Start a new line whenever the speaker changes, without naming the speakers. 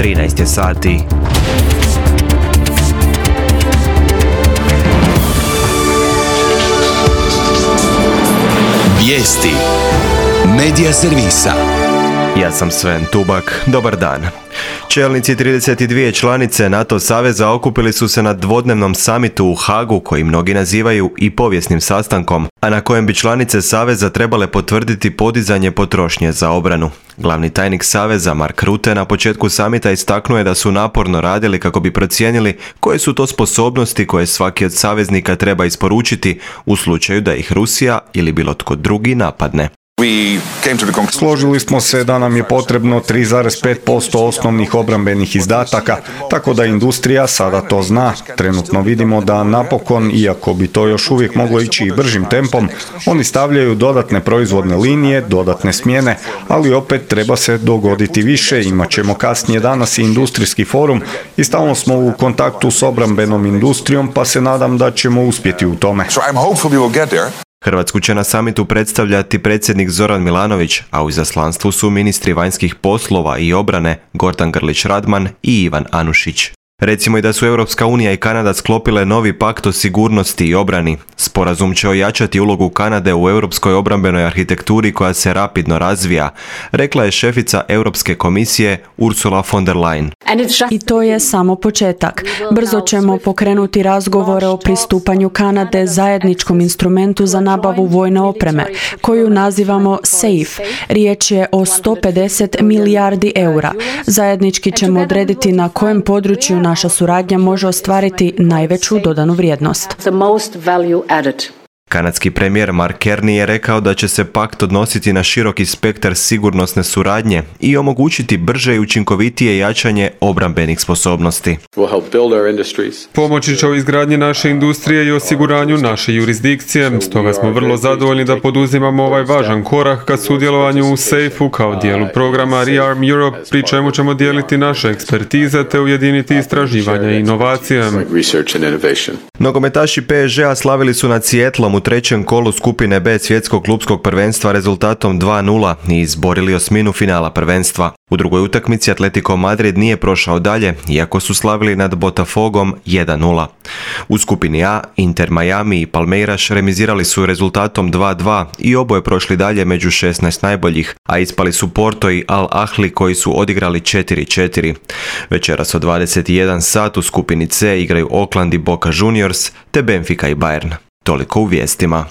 13 je sati.
Vijesti Medija servisa.
Ja sam Sven Tubak, dobar dan. Čelnici 32 članice NATO saveza okupili su se na dvodnevnom samitu u Hagu, koji mnogi nazivaju i povijesnim sastankom, a na kojem bi članice saveza trebale potvrditi podizanje potrošnje za obranu. Glavni tajnik saveza Mark Rutte na početku samita istaknuo je da su naporno radili kako bi procijenili koje su to sposobnosti koje svaki od saveznika treba isporučiti u slučaju da ih Rusija ili bilo tko drugi napadne.
Složili smo se da nam je potrebno 3,5% osnovnih obrambenih izdataka, tako da industrija sada to zna. Trenutno vidimo da napokon, iako bi to još uvijek moglo ići i bržim tempom, oni stavljaju dodatne proizvodne linije, dodatne smjene, ali opet treba se dogoditi više. Imat ćemo kasnije danas i industrijski forum i stalno smo u kontaktu s obrambenom industrijom, pa se nadam da ćemo uspjeti u tome.
Hrvatsku će na samitu predstavljati predsjednik Zoran Milanović, a u izaslanstvu su ministri vanjskih poslova i obrane Gordan Grlić Radman i Ivan Anušić. Recimo i da su Europska unija i Kanada sklopile novi pakt o sigurnosti i obrani. Sporazum će ojačati ulogu Kanade u europskoj obrambenoj arhitekturi koja se rapidno razvija, rekla je šefica Europske komisije Ursula von der Leyen.
I to je samo početak. Brzo ćemo pokrenuti razgovore o pristupanju Kanade zajedničkom instrumentu za nabavu vojne opreme, koju nazivamo SAFE. Riječ je o 150 milijardi eura. Zajednički ćemo odrediti na kojem području naša suradnja može ostvariti najveću dodanu vrijednost.
Kanadski premijer Mark Carney je rekao da će se pakt odnositi na široki spektar sigurnosne suradnje i omogućiti brže i učinkovitije jačanje obrambenih sposobnosti.
Pomoći će u izgradnji naše industrije i osiguranju naše jurisdikcije, stoga smo vrlo zadovoljni da poduzimamo ovaj važan korak ka sudjelovanju u SAFE-u kao dijelu programa Rearm Europe, pri čemu ćemo dijeliti naše ekspertize te ujediniti istraživanja i inovacije.
Nogometaši PSG-a slavili su nad Seattlom u trećem kolu skupine B svjetskog klupskog prvenstva rezultatom 2:0 i izborili osminu finala prvenstva. U drugoj utakmici Atletico Madrid nije prošao dalje, iako su slavili nad Botafogom 1:0. U skupini A Inter Miami i Palmeiras remizirali su rezultatom 2:2 i oboje prošli dalje među 16 najboljih, a ispali su Porto i Al Ahly koji su odigrali 4:4. Večeras od 21 sat u skupini C igraju Oakland i Boca Juniors te Benfica i Bayern. Toliko u vijestima.